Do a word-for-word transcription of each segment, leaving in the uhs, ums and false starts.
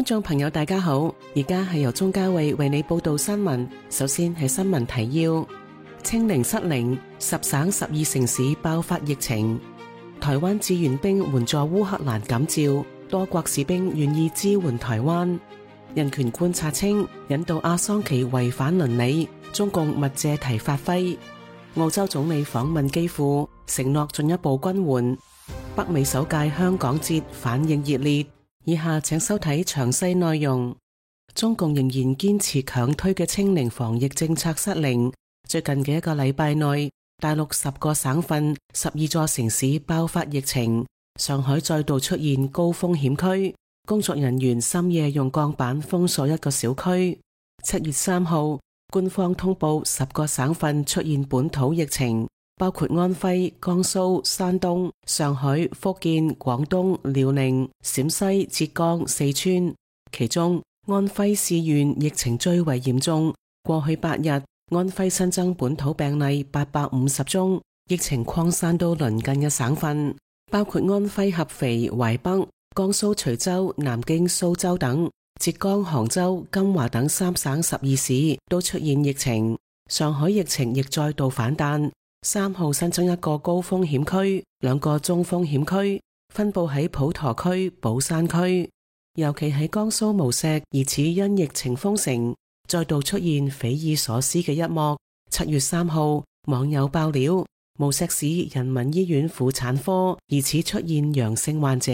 觀眾朋友大家好，而家係由鍾嘉慧為你報道新聞。首先係新聞提要：清零失靈，十省十二城市爆發疫情。台灣志願兵援助烏克蘭感召，多國士兵願意支援台灣。人權觀察稱，引渡阿桑奇違反倫理，中共勿借題發揮。澳洲總理訪問基輔，承諾進一步軍援。北美首屆香港節反應熱烈。以下請收睇詳細內容。中共仍然堅持強推嘅清零防疫政策失靈。最近嘅一個禮拜內，大陸十個省份、十二座城市爆發疫情，上海再度出現高風險區，工作人員深夜用鋼板封鎖一個小區。七月三號，官方通報十個省份出現本土疫情，包括安徽、江蘇、山東、上海、福建、廣東、遼寧、陝西、浙江、四川。其中，安徽市縣疫情最為嚴重。過去八日，安徽新增本土病例八百五十宗，疫情擴散到鄰近嘅省份，包括安徽合肥、淮北、江蘇徐州、南京、蘇州等。浙江杭州、金華等三省十二市都出現疫情。上海疫情亦再度反彈。三號新增一個高風險區，兩個中風險區，分布喺普陀區、寶山區。尤其喺江蘇無錫，疑似因疫情封城，再度出現匪夷所思嘅一幕。七月三號，網友爆料，無錫市人民醫院婦產科疑似出現陽性患者，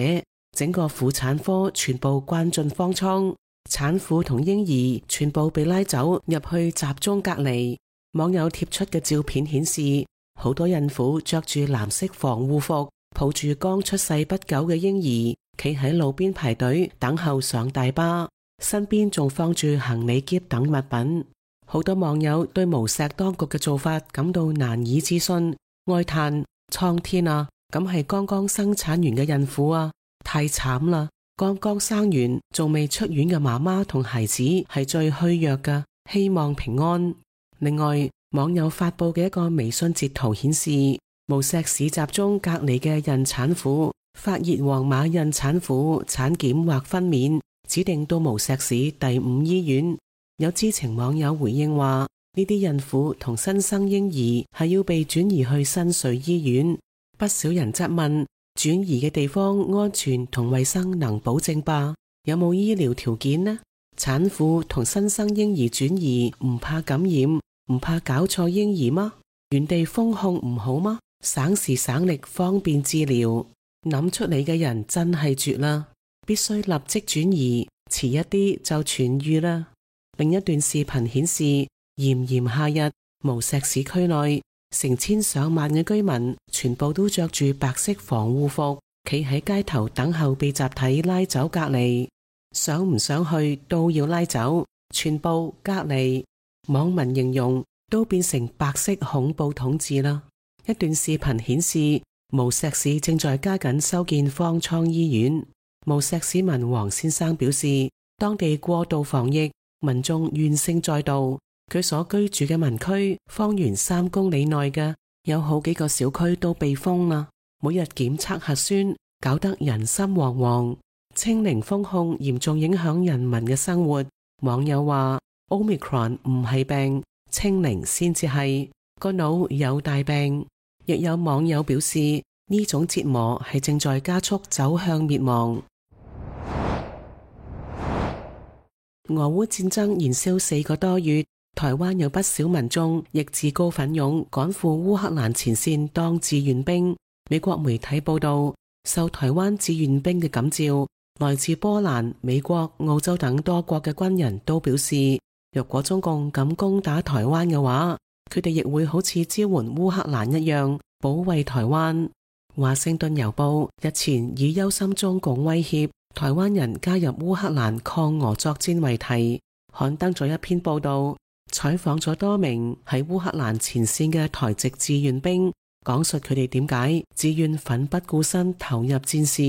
整個婦產科全部關進方艙，產婦同嬰兒全部被拉走入去集中隔離。網友貼出嘅照片顯示，好多孕婦着住藍色防護服，抱住剛出世不久嘅嬰兒，企喺路邊排隊等候上大巴，身邊仲放住行李篋等物品。好多網友對無錫當局嘅做法感到難以置信，哀嘆：蒼天啊，咁係剛剛生產完嘅孕婦啊，太慘啦！剛剛生完仲未出院嘅媽媽同孩子係最虛弱㗎，希望平安。另外，網友發佈嘅一個微信截圖顯示，無錫市集中隔離嘅孕產婦發熱黃碼孕產婦產檢或分娩，指定到無錫市第五醫院。有知情網友回應話，呢啲孕婦同新生嬰兒係要被轉移去新瑞醫院。不少人質問，轉移嘅地方安全同衛生能保證吧？有冇醫療條件呢？產婦同新生嬰兒轉移唔怕感染，唔怕搞錯嬰兒嗎？原地封控唔好嗎？省時省力方便治療，諗出嚟嘅人真係絕啦！必須立即轉移，遲一啲就痊癒啦。另一段視頻顯示，炎炎夏日，無錫市區內成千上萬嘅居民全部都着住白色防護服，企喺街頭等候被集體拉走隔離。想唔想去都要拉走，全部隔離。網民形容都變成白色恐怖統治啦。一段視頻顯示，無錫市正在加緊修建方艙醫院。無錫市民黃先生表示，當地過度防疫，民眾怨聲載道。佢所居住嘅民區方圓三公里內嘅有好幾個小區都被封啦，每日檢測核酸，搞得人心惶惶。清零封控嚴重影響人民嘅生活。網友話 Omicron 唔係病，清零先至係，個腦有大病。亦有網友表示，呢種折磨係正在加速走向滅亡。俄烏戰爭燃燒四個多月，台灣有不少民眾亦自告奮勇趕赴烏克蘭前線當志願兵。美國媒體報道，受台灣志願兵嘅感召，來自波蘭、美國、澳洲等多國嘅軍人都表示，若果中共敢攻打台灣嘅話，佢哋亦會好似支援烏克蘭一樣保衛台灣。華盛頓郵報日前以憂心中共威脅台灣人加入烏克蘭抗俄作戰為題，刊登咗一篇報道，採訪咗多名喺烏克蘭前線嘅台籍志願兵，講述佢哋點解自願奮不顧身投入戰事。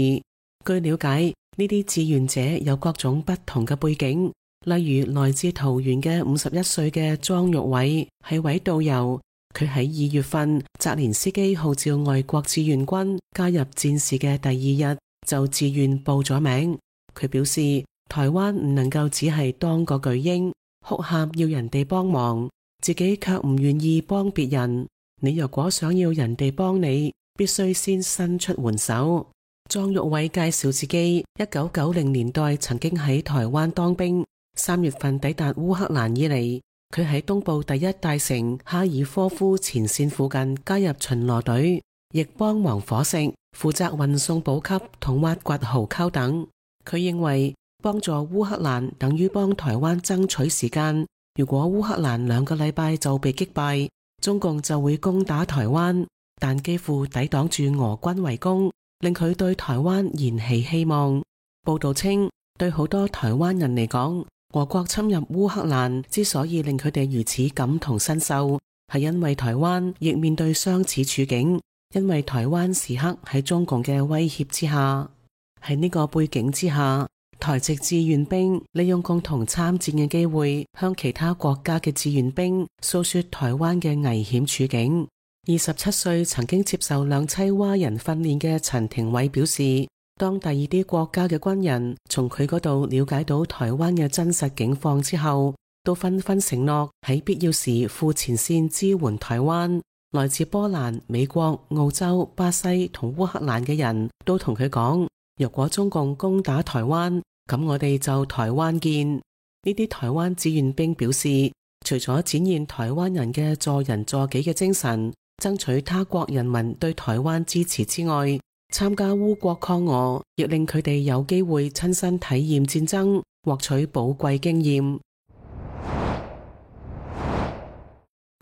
據了解，呢啲志願者有各種不同嘅背景，例如來自桃園嘅五十一歲嘅莊玉偉係位導遊，佢喺二月份澤連斯基號召外國志願軍加入戰事嘅第二日就自願報咗名。佢表示台灣唔能夠只係當個巨嬰，哭喊要人哋幫忙，自己卻唔願意幫別人。你若果想要人哋幫你，必須先伸出援手。莊玉偉介紹自己一九九零年代曾經喺台灣當兵，三月份抵達烏克蘭以嚟，佢喺東部第一大城哈爾科夫前線附近加入巡邏隊，亦幫忙伙食，負責運送補給同挖掘壕溝等。佢認為幫助烏克蘭等於幫台灣爭取時間，如果烏克蘭兩個禮拜就被擊敗，中共就會攻打台灣，但幾乎抵擋住俄軍圍攻，令佢對台灣燃起希望。報道稱，對好多台灣人嚟講，俄國侵入烏克蘭之所以令佢哋如此感同身受，係因為台灣亦面對相似處境，因為台灣時刻喺中共嘅威脅之下。喺呢個背景之下，台籍志願兵利用共同參戰嘅機會，向其他國家嘅志願兵訴說台灣嘅危險處境。二十七歲曾經接受兩棲蛙人訓練嘅陳庭偉表示，當第二啲國家嘅軍人從佢嗰度了解到台灣嘅真實境況之後，都紛紛承諾喺必要時赴前線支援台灣。來自波蘭、美國、澳洲、巴西同烏克蘭嘅人都同佢講，若果中共攻打台灣，咁我哋就台灣見。呢啲台灣志願兵表示，除咗展現台灣人嘅助人助己嘅精神，爭取他國人民對台灣支持之外，參加烏國抗俄亦令佢哋有機會親身體驗戰爭，獲取寶貴經驗。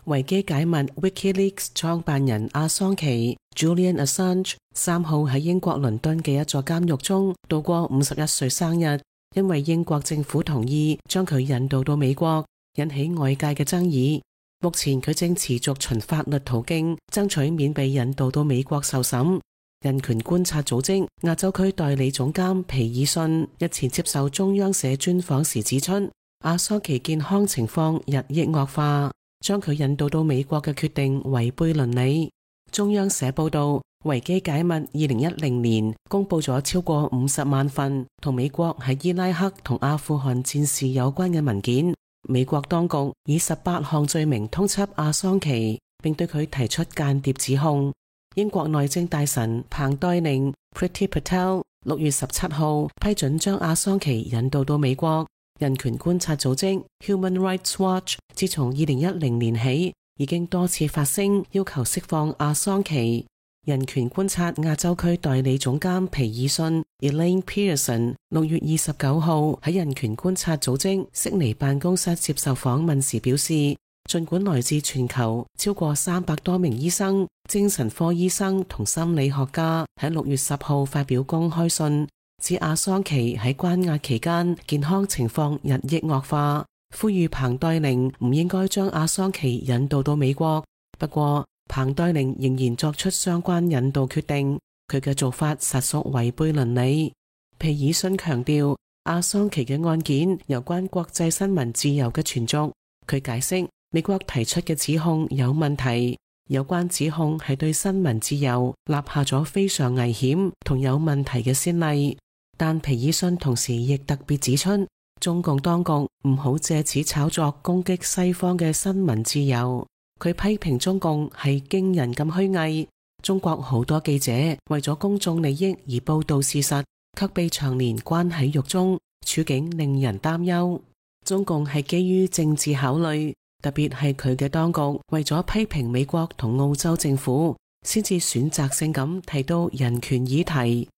維基解密 Wikileaks 創辦人阿桑奇 Julian Assange 三號喺英國倫敦嘅一座監獄中度過五十一歲生日，因為英國政府同意將佢引渡到美國，引起外界嘅爭議。目前佢正持續循法律途徑爭取免被引渡到美國受審。人權觀察組織亞洲區代理總監皮爾遜日前接受中央社專訪時指出，阿桑奇健康情況日益惡化，將佢引渡到美國嘅決定違背倫理。中央社報道，維基解密二零一零年公布咗超過五十萬份同美國喺伊拉克同阿富汗戰事有關嘅文件。美國當局以十八項罪名通緝阿桑奇，並對佢提出間諜指控。英國內政大臣彭黛玲 Priti Patel 六月十七號批准將阿桑奇引渡到美國。人權觀察組織 Human Rights Watch 自從二零一零年起，已經多次發聲要求釋放阿桑奇。人權觀察亞洲區代理總監皮爾遜 Elaine Pearson 六月二十九號喺人權觀察組織悉尼辦公室接受訪問時表示，儘管來自全球超過三百多名醫生、精神科醫生同心理學家喺六月十號發表公開信，指阿桑奇喺關押期間健康情況日益惡化，呼籲彭黛玲唔應該將阿桑奇引渡到美國。不過彭黛玲仍然作出相關引渡決定，佢嘅做法實屬違背倫理。皮爾遜強調，阿桑奇嘅案件有關國際新聞自由嘅存續。佢解釋，美國提出嘅指控有問題，有關指控係對新聞自由立下咗非常危險同有問題嘅先例。但皮爾遜同時亦特別指出，中共當局唔好借此炒作攻擊西方嘅新聞自由。佢批評中共係驚人咁虛偽，中國好多記者為咗公眾利益而報道事實，卻被長年關喺獄中，處境令人擔憂。中共係基於政治考慮，特別係佢嘅當局為咗批評美國同澳洲政府，先至選擇性咁提到人權議題。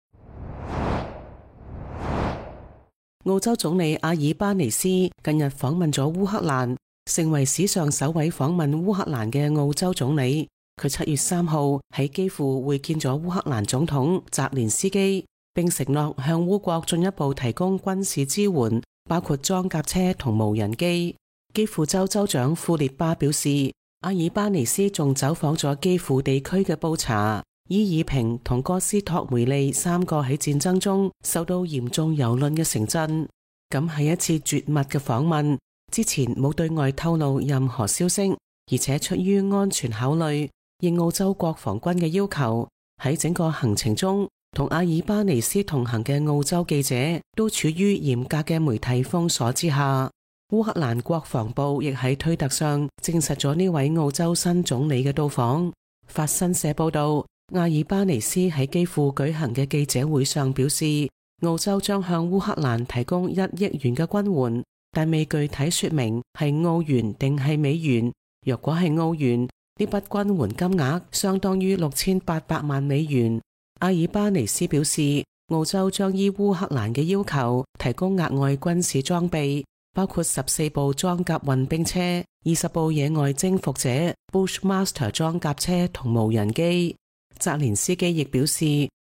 澳洲總理阿爾巴尼斯近日訪問咗烏克蘭，成為史上首位訪問烏克蘭嘅澳洲總理。佢七月三號喺基輔會見咗烏克蘭總統澤連斯基，並承諾向烏國進一步提供軍事支援，包括裝甲車同無人機。基輔州州長庫列巴表示，阿爾巴尼斯仲走訪咗基輔地區嘅布查、伊爾平同哥斯托梅利三個喺戰爭中受到嚴重蹂躪嘅城鎮。咁係一次絕密嘅訪問，之前冇對外透露任何消息，而且出於安全考慮，應澳洲國防軍嘅要求，喺整個行程中同阿爾巴尼斯同行嘅澳洲記者都處於嚴格嘅媒體封鎖之下。烏克蘭國防部亦喺推特上證實咗呢位澳洲新總理嘅到訪。法新社報道，阿爾巴尼斯喺基輔舉行嘅記者會上表示，澳洲將向烏克蘭提供一億元嘅軍援，但未具體說明係澳元定係美元。若果係澳元，呢筆軍援金額相當於六千八百萬美元。阿爾巴尼斯表示，澳洲將依烏克蘭嘅要求提供額外軍事裝備，包括十四部裝甲運兵車、二十部野外征服者 Bushmaster 裝甲車同無人機。澤連斯基亦表示，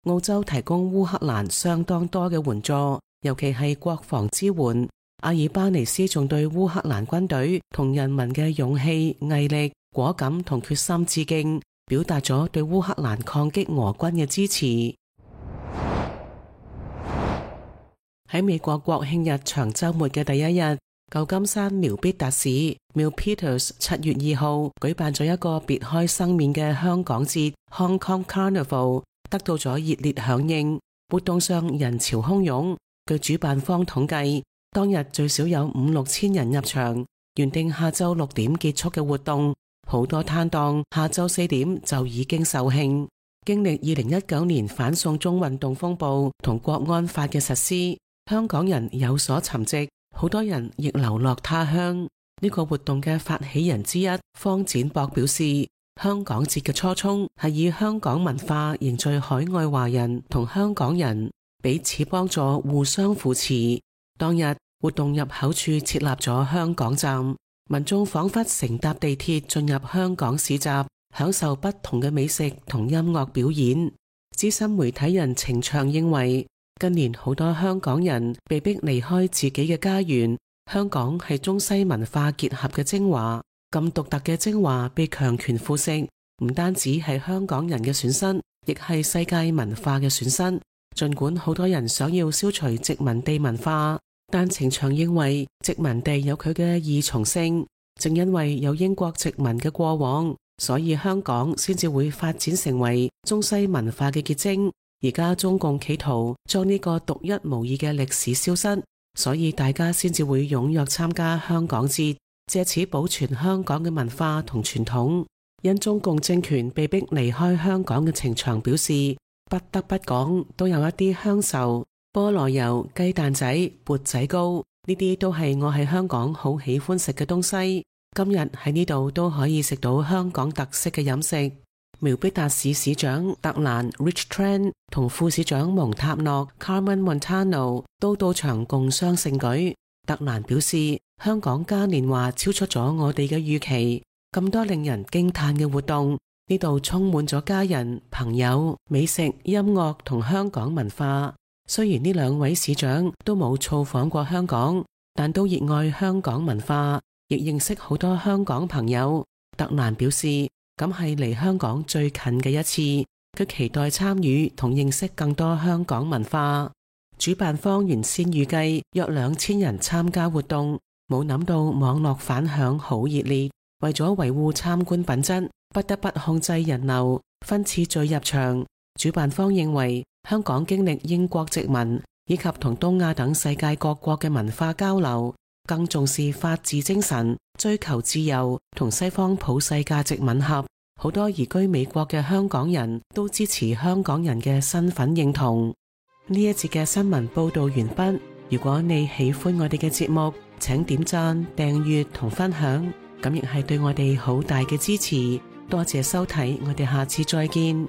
澳洲提供烏克蘭相當多嘅援助，尤其係國防支援。阿爾巴尼斯仲對烏克蘭軍隊同人民嘅勇氣、毅力、果敢同決心致敬，表達咗對烏克蘭抗擊俄軍嘅支持。喺美國國慶日長週末嘅第一日，舊金山苗必達市 Milpitas 七月二號舉辦咗一個別開生面嘅香港節 Hong Kong Carnival， 得到咗熱烈響應。活動上人潮洶湧，據主辦方統計，當日最少有五六千人入場。原定下晝六點結束嘅活動，好多攤檔下晝四點就已經售罄。經歷二零一九年反送中運動風暴同國安法嘅實施，香港人有所沉寂，好多人亦流落他鄉。呢個活動嘅發起人之一方展博表示，香港節嘅初衷係以香港文化凝聚海外華人同香港人，彼此幫助，互相扶持。當日活動入口處設立咗香港站，民眾仿佛乘搭地鐵進入香港市集，享受不同嘅美食同音樂表演。資深媒體人程翔認為，近年好多香港人被逼離開自己嘅家園，香港係中西文化結合嘅精華，咁獨特嘅精華被強權腐蝕，唔單止係香港人嘅損失，亦係世界文化嘅損失。盡管好多人想要消除殖民地文化，但程翔認為殖民地有佢嘅二重性，正因為有英國殖民嘅過往，所以香港先至會發展成為中西文化嘅結晶。而家中共企圖將呢個獨一無二嘅歷史消失，所以大家先至會踴躍參加香港節，借此保存香港嘅文化同傳統。因中共政權被逼離開香港嘅程翔表示，不得不講，都有一啲鄉愁，菠蘿油、雞蛋仔、缽仔糕，呢啲都係我喺香港好喜歡食嘅東西。今日喺呢度都可以食到香港特色嘅飲食。苗必達市市長特蘭 Rich Tran 同副市長蒙塔諾 Carmen Montano 都到場共襄盛舉。特蘭表示，香港嘉年華超出咗我哋嘅預期，咁多令人驚嘆嘅活動，呢度充滿咗家人、朋友、美食、音樂同香港文化。雖然呢兩位市長都冇造訪過香港，但都熱愛香港文化，亦認識好多香港朋友。特蘭表示，咁係離香港最近嘅一次，佢期待參與同認識更多香港文化。主辦方原先預計約兩千人參加活動，冇諗到網絡反響好熱烈。為咗維護參觀品質，不得不控制人流，分次序入場。主辦方認為，香港經歷英國殖民以及同東亞等世界各國嘅文化交流，更重視法治精神，追求自由，同西方普世價值吻合。好多移居美國嘅香港人都支持香港人嘅身份認同。呢一節嘅新聞報道完畢。如果你喜歡我哋嘅節目，請點讚、訂閱同分享，咁亦係對我哋好大嘅支持。多謝收睇，我哋下次再見。